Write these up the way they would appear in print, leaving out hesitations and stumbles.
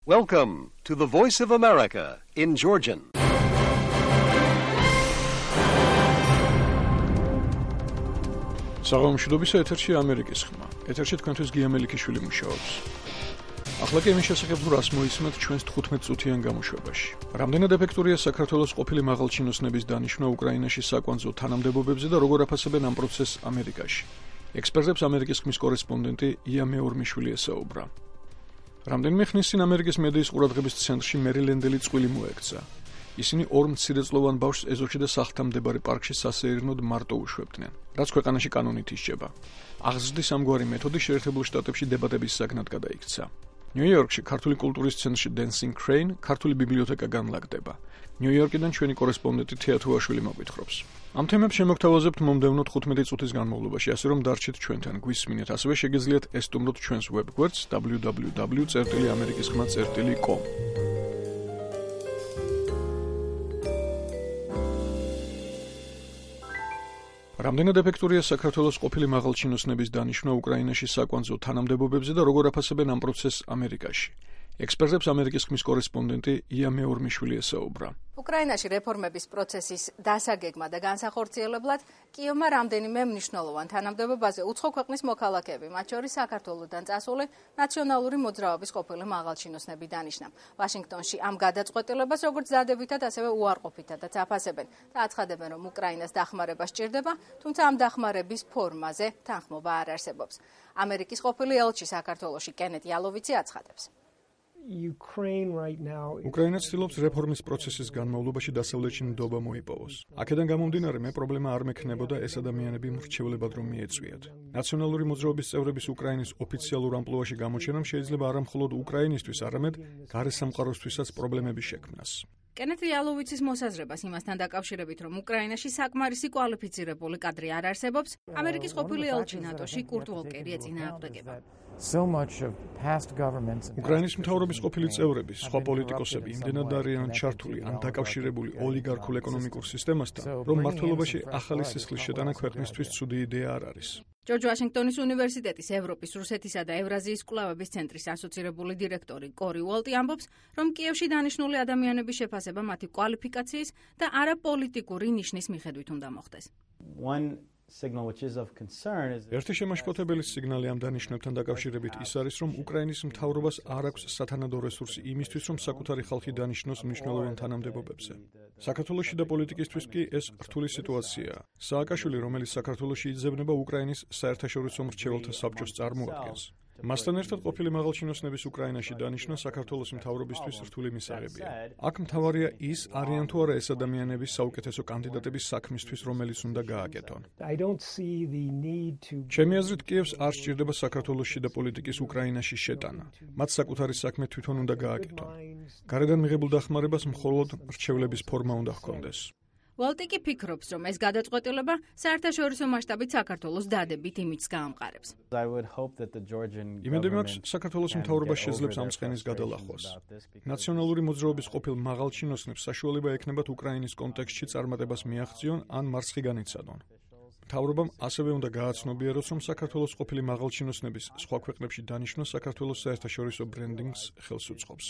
Welcome to the Voice of America in Georgian. საღამოშიდობისა ეთერში ამერიკის ხმა. ეთერში თქვენთვის გია მელიქიშვილი მუშაობს. ახლა კი იმის შესახებ თუ რას მოისმენთ ჩვენს 15 წუთიან გამოშვებაში. რამდენად ეფექტურია საქართველოს ყოფილი მაღალჩინოსნების დანიშვნა უკრაინაში საკვანძო თანამდებობებზე და როგორ აფასებენ ამ პროცესს ამერიკაში. ექსპერტებს ამერიკის ხმის კორესპონდენტი ია მეორმიშვილი ესაუბრა. რამდენიმე ხნის წინ ამერიკის მედიის ყურადღების ცენტრში მერილენდელი წყვილი მოექცა. ისინი ორ მცირეწლოვან ბავშვს ეზოში და სახლთან მდებარე პარკში სასეირნოდ მარტო უშვებდნენ, რაც ქვეყანაში კანონით ისჯება. აღზრდის ამგვარი მეთოდი შეერთებულ შტატებში დებატების საგნად გადაიქცა. ნიუ-იორკში ქართული კულტურის ცენტრში Dancing Crane ქართული ბიბლიოთეკა განლაგდება. ნიუ-იორკიდან ჩვენი კორესპონდენტი თეათუაშვილი მოგვითხრობს. ამ თემებს შემოგთავაზებთ მომდევნო 15 წუთის განმავლობაში, ასე რომ დარჩით ჩვენთან, გვისმინეთ, ასევე შეგიძლიათ ესტუმროთ ჩვენს ვებგვერდს www.amerikiskhma.com. რამდენად ეფექტურია საქართველოს ყოფილი მაღალჩინოსნების დანიშვნა უკრაინაში საკვანძო თანამდებობებზე და როგორ აფასებენ ამ პროცესს ამერიკაში. ექსპერტებს ამერიკის ხმის კორესპონდენტი ია მეორმიშვილი ესაუბრა. უკრაინაში რეფორმების პროცესის დასაგეგმა და განსახორციელებლად კიევმა რამდენიმე მნიშვნელოვან თანამდებობაზე უცხო ქვეყნის მოქალაქეები, მათ შორის საქართველოდან წასული ნაციონალური მოძრაობის ყოფილი მაღალჩინოსნები დანიშნა. ვაშინგტონში ამ გადაწყვეტილებას როგორც დადებითად, ასევე უარყოფითადაც აფასებენ და აცხადებენ, რომ უკრაინას დახმარება სჭირდება, თუმცა ამ დახმარების ფორმაზე თანხმობა არ არსებობს. ამერიკის ყოფილი ელჩი საქართველოში კენეთ იალოვიცი აცხადებს. უკრაინა ცდილობს რეფორმის პროცესის განმავლობაში დასავლეთში ნდობა მოიპოვოს. აქედან გამომდინარე, მე პრობლემა არ მექნებოდა ეს ადამიანები მრჩევლებად რომ მიეწვიათ. ნაციონალური მოძრაობის წევრების უკრაინის ოფიციალურ ამპლუაში გამოჩენამ შეიძლება არა მხოლოდ უკრაინისთვის, არამედ გარე სამყაროსთვისაც პრობლემები შექმნას. კენეთ იალოვიცის მოსაზრებას იმასთან დაკავშირებით, რომ უკრაინაში საკმარისი კვალიფიცირებული კადრი არ არსებობს, ამერიკის ყოფილი ელჩი ნატოში კურტ ვოლკერი ეწინააღმდეგება. უკრაინის მთავრობის ყოფილი წევრები, სხვა პოლიტიკოსები იმდენად არიან ჩართული ან დაკავშირებული ოლიგარქულ ეკონომიკურ სისტემასთან, რომ მმართველობაში ახალი სისხლის შეტანა ქვეყნისთვის ცუდი იდეა არ არის. ჯორჯ ვაშინგტონის უნივერსიტეტის ევროპის, რუსეთისა და ევრაზიის კვლევების ცენტრის ასოცირებული დირექტორი კორი უოლტი ამბობს, რომ კიევში დანიშნული ადამიანების შეფასება მათი კვალიფიკაციის და არაპოლიტიკური ნიშნის მიხედვით უნდა მოხდეს. ერთი შემაშფოთებელი სიგნალი ამ დანიშნებთან დაკავშირებით ის არის, რომ უკრაინის მთავრობას არ აქვს სათანადო რესურსი იმისთვის, რომ საკუთარი ხალხი დანიშნოს მნიშვნელოვან თანამდებობებზე. საქართველოში და პოლიტიკისთვის კი ეს რთული სიტუაციაა. სააკაშვილი, რომელიც საქართველოში იძებნება უკრაინის საერთაშორისო მრჩეველთა საბჭოს წარმოადგენს. მასთან ერთად ყოფილი მაღალჩინოსნების უკრაინაში დანიშვნა საქართველოს მთავრობისთვის რთული მისაღებია. აქ მთავარია ის, არიან თუ არა ეს ადამიანები საუკეთესო კანდიდატების საქმისთვის, რომელიც უნდა გააკეთონ. ჩემი აზრით, კიევს არ სჭირდება საქართველოს შიდა პოლიტიკის უკრაინაში შეტანა. მათ საკუთარი საქმე თვითონ უნდა გააკეთონ. გარედან მიღებულ დახმარებას მხოლოდ მრჩევლების ფორმა უნდა ჰქონდეს. უოლტი კი ფიქრობს, რომ ეს გადაწყვეტილება საერთაშორისო მასშტაბით საქართველოს დადებით იმიჯს გაამყარებს. იმედი მაქვს, საქართველოს მთავრობა შეძლებს ამ ცხენის გადალახვას. ნაციონალური მოძრაობის ყოფილ მაღალჩინოსნებს საშუალება ექნებათ უკრაინის კონტექსტში წარმატებას მიაღწიონ ან მარცხი განიცადონ. მთავრობამ ასევე უნდა გააცნობიეროს, რომ საქართველოს ყოფილი მაღალჩინოსნების სხვა ქვეყნებში დანიშვნა საქართველოს საერთაშორისო ბრენდინგს ხელს უწყობს.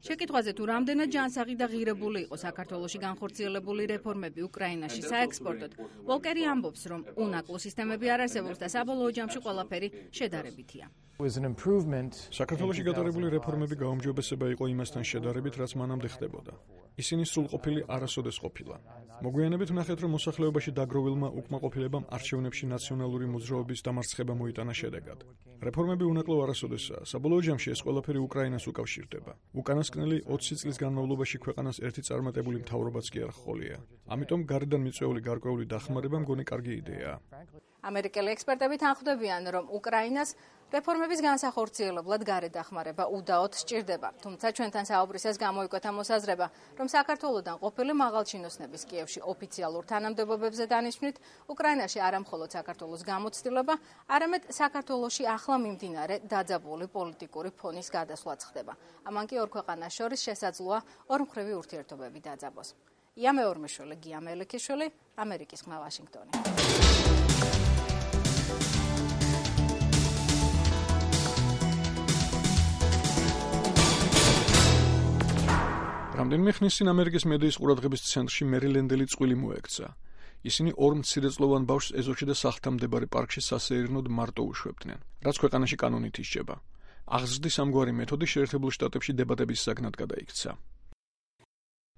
შეკითხვაზე თუ რამდენად ჯანსაღი და ღირებული იყო საქართველოში განხორციელებული რეფორმები უკრაინაში საექსპორტოდ, ვოლკერი ამბობს, რომ უნაკლო სისტემები არ არსებობს და საბოლოო ჯამში ყველაფერი შედარებითია. საქართველოში გატარებული რეფორმები გაუმჯობესება იყო იმასთან შედარებით, რაც მანამდე ხდებოდა. ისინი სრულყოფილი არასოდეს ყოფილა. მოგვიანებით ვნახეთ, რომ მოსახლეობაში დაგროვილმა უკმაყოფილებამ არჩევნებში ნაციონალური მოძრაობის დამარცხება მოიტანა შედეგად. რეფორმები უნაკლო არასოდესაა. საბოლოო ჯამში ეს ყველაფერი უკრაინას უკავშირდება. უკანასკნელი 20 წლის განმავლობაში ქვეყანას ერთი წარმატებული მთავრობაც კი არ ჰყოლია. ამიტომ გარედან მიწვეული გარკვეული დახმარება მგონი კარგი იდეაა. ამერიკელი ექსპერტები თანხმდებიან, რომ უკრაინას რეფორმების განსახორციელებლად გარე დახმარება უდაოდ სჭირდება. თუმცა ჩვენთან საუბრისას გამოიკვეთა მოსაზრება, რომ საქართველოდან ყოფილი მაღალჩინოსნების კიევში ოფიციალურ თანამდებობებზე დანიშვნით უკრაინაში არა მხოლოდ საქართველოს გამოცდილება, არამედ საქართველოში ახლა მიმდინარე დაძაბული პოლიტიკური ფონის გადასვლაც ხდება. ამან კი ორ ქვეყანას შორის შესაძლოა ორმხრივი ურთიერთობები დაძაბოს. ია მეორმიშვილი, გია მელიქიშვილი, ამერიკის ხმა, ვაშინგტონი. რამდენიმე ხნის წინ ამერიკის მედიის ყურადღების ცენტრში მერილენდელი წყვილი მოექცა. ისინი ორ მცირეწლოვან ბავშვს ეზოში და სახლთან მდებარე პარკში სასეირნოდ მარტო უშვებდნენ, რაც ქვეყანაში კანონით ისჯება. აღზრდის ამგვარი მეთოდი შეერთებულ შტატებში დებატების საგნად გადაიქცა.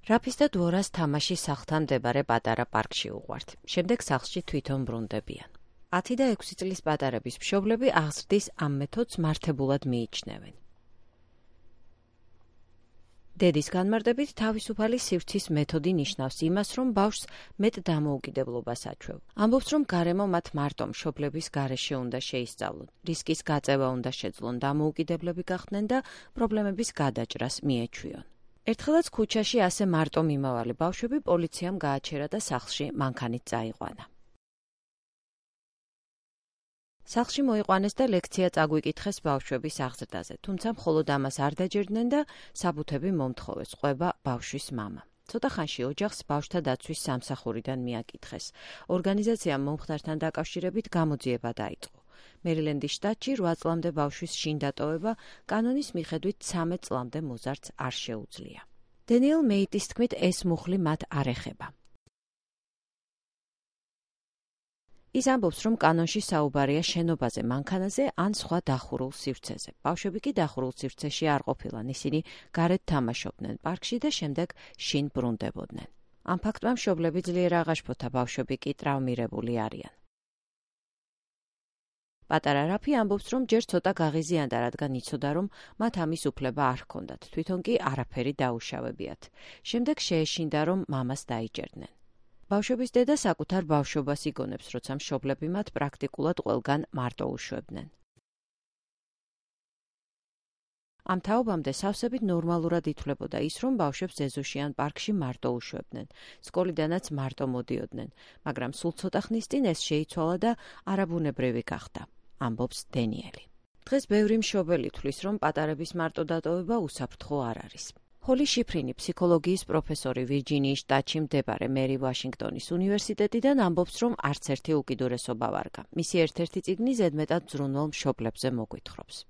რაფის და დუორას თამაში სახლთან მდებარე პატარა პარკში უყვართ. შემდეგ სახლში თვითონ ბრუნდებიან. 10 და 6 წლის პატარების მშობლები აღზრდის ამ მეთოდს მართებულად მიიჩნევენ. დედის განმარტებით თავისუფალი სივრცის მეთოდი ნიშნავს იმას, რომ ბავშვს მეტ დამოუკიდებლობას აჩვევ. ამბობს, რომ გარემო მათ მარტო მშობლების გარეშე უნდა შეისწავლონ, რისკის გაწევა უნდა შეძლონ, დამოუკიდებლები გახდნენ და პრობლემების გადაჭრას მიეჩვიონ. ერთხელაც ქუჩაში ასე მარტო მიმავალი ბავშვები პოლიციამ გააჩერა და სახლში მანქანით წაიყვანა. სახლში მოიყვანეს და ლექცია წაგვიკითხეს ბავშვების აღზრდაზე, თუმცა მხოლოდ ამას არ დაჯერდნენ და საბუთები მომთხოვეს, ყვება ბავშვის მამა. ცოტა ხანში ოჯახს ბავშვთა დაცვის სამსახურიდან მიაკითხეს. ორგანიზაციამ მომხდართან დაკავშირებით გამოძიება დაიწყო. მერილენდის შტატში 8 წლამდე ბავშვის შინ დატოვება კანონის მიხედვით 13 წლამდე მოზარდს არ შეუძლია. დენიელ მეიტის თქმით, ეს მუხლი მათ არ ეხება. ის ამბობს, რომ კანონში საუბარია შენობაზე, მანქანაზე ან სხვა დახურულ სივრცეზე. ბავშვები კი დახურულ სივრცეში არ ყოფილან, ისინი გარეთ თამაშობდნენ პარკში და შემდეგ შინ ბრუნდებოდნენ. ამ ფაქტმა მშობლები ძლიერ აღაშფოთა, ბავშვები კი ტრავმირებული არიან. პატარა რაფი ამბობს, რომ ჯერ ცოტა გაღიზიანდა, რადგან იცოდა, რომ მათ ამის უფლება არ ჰქონდათ, თვითონ კი არაფერი დაუშავებიათ. შემდეგ შეეშინდა, რომ მამას დაიჯერდნენ. ბავშვების დედა საკუთარ ბავშვობას იგონებს, როცა მშობლები მათ პრაქტიკულად ყველგან მარტო უშვებდნენ. ამ თაობამდე სავსებით ნორმალურად ითვლებოდა ის, რომ ბავშვებს ეზოში ან პარკში მარტო უშვებდნენ. სკოლიდანაც მარტო მოდიოდნენ, მაგრამ სულ ცოტა ხნის წინ ეს შეიცვალა და არაბუნებრივი გახდა, ამბობს დენიელი. დღეს ბევრი მშობელი თვლის, რომ პატარების მარტო დატოვება უსაფრთხო არ არის. ჰოლი შიფრინი, ფსიქოლოგიის პროფესორი ვირჯინიის შტატში მდებარე მერი ვაშინგტონის უნივერსიტეტიდან ამბობს, რომ არც ერთი უკიდურესობა ვარგა. მისი ერთ-ერთი წიგნი ზედმეტად ზრუნვალ მშობლებზე მოგვითხრობს.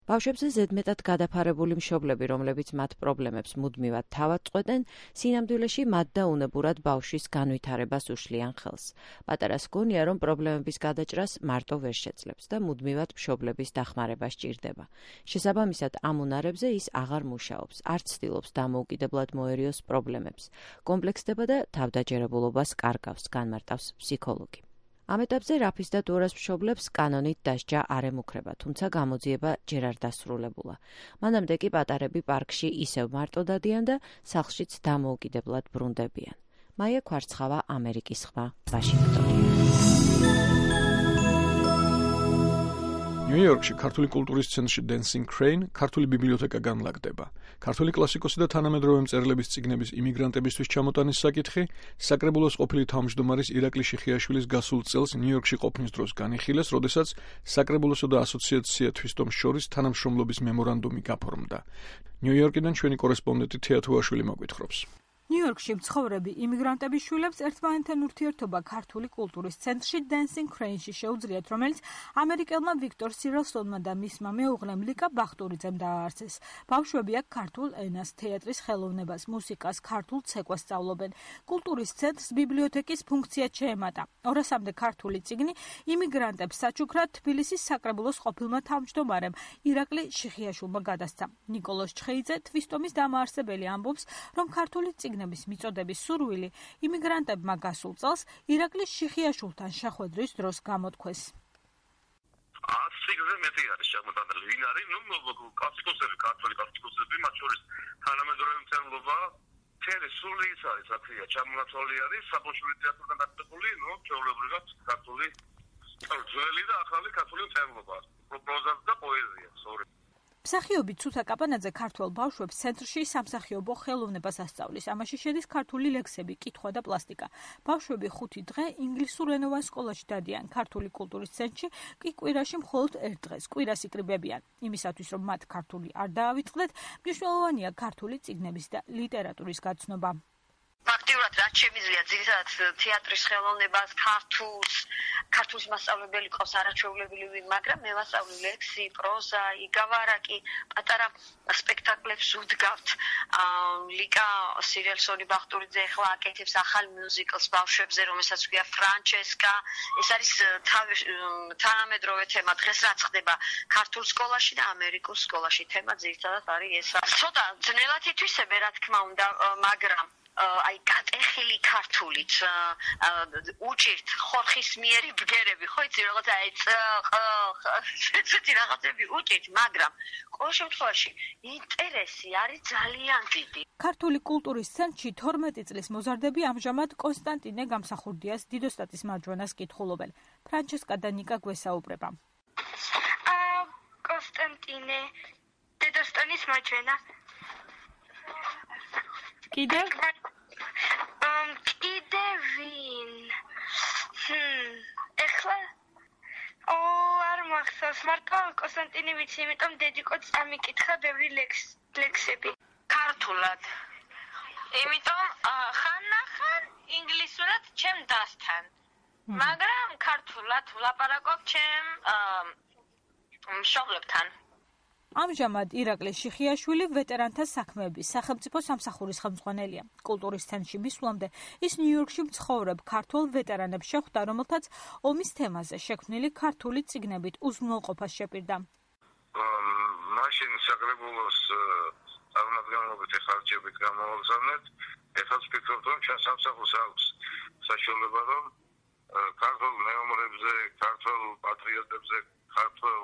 ბავშვებზე ზედმეტად გადაფარებული მშობლები, რომლებიც მათ პრობლემებს მუდმივად თავად წყვეტენ, სინამდვილეში მათ და უნებურად ბავშვის განვითარებას უშლიან ხელს. პატარას გონია, რომ პრობლემების გადაჭრას მარტო ვერ შეძლებს და მუდმივად მშობლების დახმარება სჭირდება. შესაბამისად, ამ უნარებზე ის აღარ მუშაობს, არ ცდილობს დამოუკიდებლად მოერიოს პრობლემებს, კომპლექსდება და თავდაჯერებულობას კარგავს, განმარტავს ფსიქოლოგი. ამ ეტაპზე რაფის და დუორას მშობლებს კანონით დასჯა არ ემუქრება, თუმცა გამოძიება ჯერ არ დასრულებულა. მანამდე კი პატარები პარკში ისევ მარტო დადიან და სახლშიც დამოუკიდებლად ბრუნდებიან. მაია ქვარცხავა, ამერიკის ხმა, ვაშინგტონი. ნიუ-იორკში ქართული კულტურის ცენტრში Dancing Crane ქართული ბიბლიოთეკა განლაგდება. ქართული კლასიკოსი და თანამედროვე მწერლების წიგნების იმიგრანტებისთვის ჩამოტანის საკითხი საკრებულოს ყოფილი თავმჯდომარის ირაკლი შიხიაშვილის გასულ წელს ნიუ-იორკში ყოფნის დროს განიხილეს, როდესაც საკრებულოსა და ასოციაცია თვისტომს შორის თანამშრომლობის მემორანდუმი გაფორმდა. ნიუ-იორკიდან ჩვენი კორესპონდენტი თეათუაშვილი მოგვითხრობს. ნიუ-იორკში მცხოვრები იმიგრანტების შვილებს ერთმანეთთან ურთიერთობა ქართული კულტურის ცენტრში Dancing Crane-ში შეუძლიათ, რომელიც ამერიკელმა ვიქტორ სირელსონმა და მისმა მეუღლემ ლიკა ბახტურიძემ დააარსეს. ბავშვები აქ ქართულ ენას, თეატრის ხელოვნებას, მუსიკას, ქართულ ცეკვას სწავლობენ. კულტურის ცენტრს ბიბლიოთეკის ფუნქცია შეემატა. 200-მდე ქართული წიგნი იმიგრანტებს საჩუქრად თბილისის საკრებულოს ყოფილმა თავმჯდომარემ ირაკლი შიხიაშვილმა გადასცა. ნიკოლოზ ჩხეიძე, თვისტომის დამაარსებელი, ამბობს, რომ ქართული წიგნების მიწოდების სურვილი იმიგრანტებმა გასულ წელს ირაკლი შიხიაშვილთან შეხვედრის დროს გამოთქვეს. ციგნზე მეტი არის შემოტანილი. ვინ არის? კლასიკოსები, ქართული კლასიკოსები, მათ შორის თანამედროვე მწერლობა, თელი სული ის არის, რა ქვია, ჩამონაცვალი არის, საბავშვო თეატრიდან დაწესებული, ჩვეულებრივად ქართული ძველი და ახალი ქართული მწერლობა, პროზა და პოეზია, მსახიობი ცუთა კაპანაძე ქართველ ბავშვებს ცენტრში სამსახიობო ხელოვნებას ასწავლის. ამაში შედის ქართული ლექსები, კითხვა და პლასტიკა. ბავშვები 5 დღე ინგლისურენოვან სკოლაში დადიან. ქართული კულტურის ცენტრში კი კვირაში მხოლოდ 1 დღეს კვირას იკრიბებიან. იმისათვის, რომ მათ ქართული არ დაავიწყდეთ, მნიშვნელოვანია ქართული წიგნების და ლიტერატურის გაცნობა. აქტიურად რაც შემიძლია ძირითადად თეატრის ხელოვნებას, ქართულის მასწავლებელი ყავს არაჩვეულებრივი, მაგრამ მე ვასწავლი ლექსი, პროზა, იგავარაკი, პატარა სპექტაკლებს ვდგავთ. ლიკა სირიალსონი ბახტურიძე ახლა აკეთებს ახალ მიუზიკლს ბავშვებზე, რომელსაც ქვია ფრანჩესკა. ეს არის თანამედროვე თემა. დღეს რაც ხდება ქართულ სკოლაში და ამერიკულ სკოლაში, თემა ძირითადად არის ეს. ცოტა ძნელად ითვისებე, რა თქმა უნდა, მაგრამ აი გატეხილი ქართულით უჭირთ ხორხის მიერი ბგერები, ხო იცი რაღაცა აი ესეთი რაღაცები უჭირთ, მაგრამ ყოველ შემთხვევაში ინტერესი არის ძალიან დიდი. ქართული კულტურის ცენტრში 12 წლის მოზარდები ამჟამად კონსტანტინე გამსახურდიას დიდოსტატის მარჯვენას კითხულობენ. ფრანჩესკა და ნიკა გვესაუბრება. კონსტანტინე დიდოსტანის მარჯვენა. კიდევ? კიდევ ვინ? ეხლა არ მახსოვს, მარტო კონსტანტინე ვიცი, იმიტომ დედიკოც ამიკითხა ბევრი ლექსები. ქართულად. იმიტომ ხან ინგლისურად ჩემ დასთან. მაგრამ ქართულად ვლაპარაკობ ჩემ მშობლებთან. ამჟამად ირაკლი შიხიაშვილი ვეტერანთა საქმეების სახელმწიფო სამსახურის ხელმძღვანელია. კულტურის ცენტრში მისვლამდე ის ნიუ-იორკში მცხოვრებ ქართველ ვეტერანებს შეხვდა, რომელთაც ომის თემაზე შექმნილი ქართული წიგნებით უზრუნველყოფას შეპირდა. მაშინ საკრებულოს წარმომადგენლობით ხარჯებით გამოვაგზავნეთ. ეხლა ვფიქრობ, რომ ჩვენ სამსახურს აქვს საშუალება, რომ ქართულ მეომრებზე, ქართულ პატრიოტებზე, ქართულ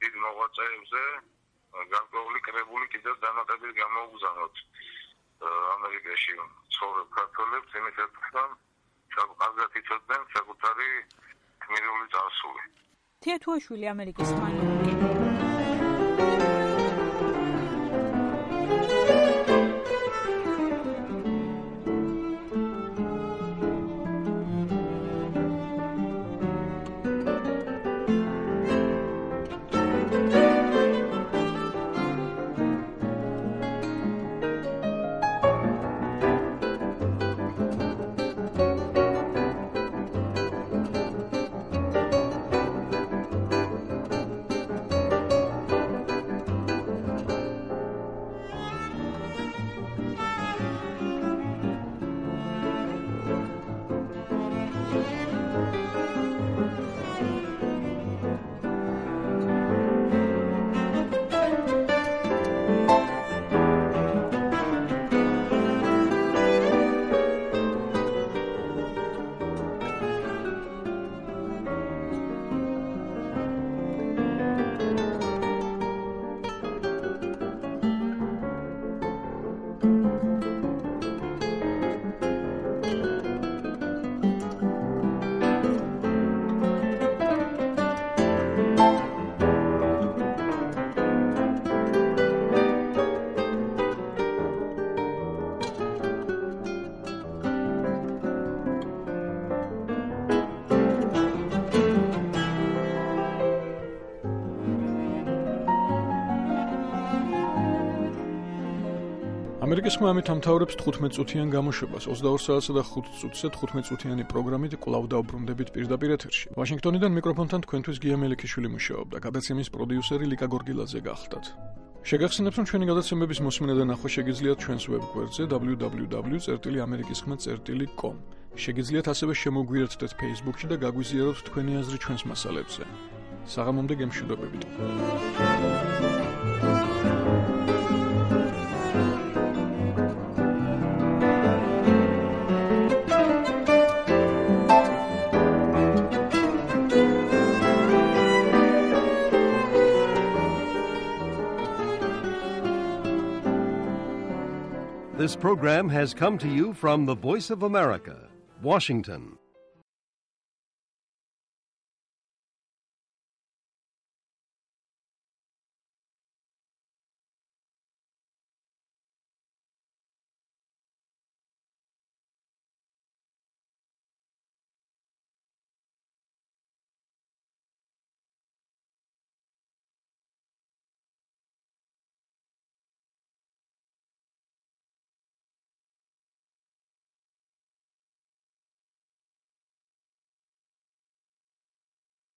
დიდ მოღვაწეებზე გარკვეული კრებული კიდევ დამატებით გამოვაგზავნოთ ამერიკაში ცხოვრებ ქართველებს, იმითაც რომ კარგად იცოდნენ საკუთარი გმირული წარსული. თეათუაშვილი ამერიკის მანქანაში ამერიკის მამით ამთავრებს 15 წუთიან გამოშვებას 22 საათსა და 5 წუთზე 15 წუთიანი პროგრამით კვლავ დაუბრუნდებით პირდაპირ ეთერში. ვაშინგტონიდან მიკროფონთან თქვენთვის გია მელიქიშვილი მუშაობდა, გადაცემის პროდიუსერი ლიკა გორგილაძე გახლდათ. შეგახსენებთ, რომ ჩვენი გადაცემების მოსმენა და ნახვა შეგიძლიათ ჩვენს ვებგვერდზე www.amerikiskhma.com. შეგიძლიათ ასევე შემოგვიერთდეთ Facebook-ში და გაგვიზიაროთ თქვენი აზრი ჩვენს მასალებზე. საღამომდე გემშვიდობებით. This program has come to you from the Voice of America, Washington.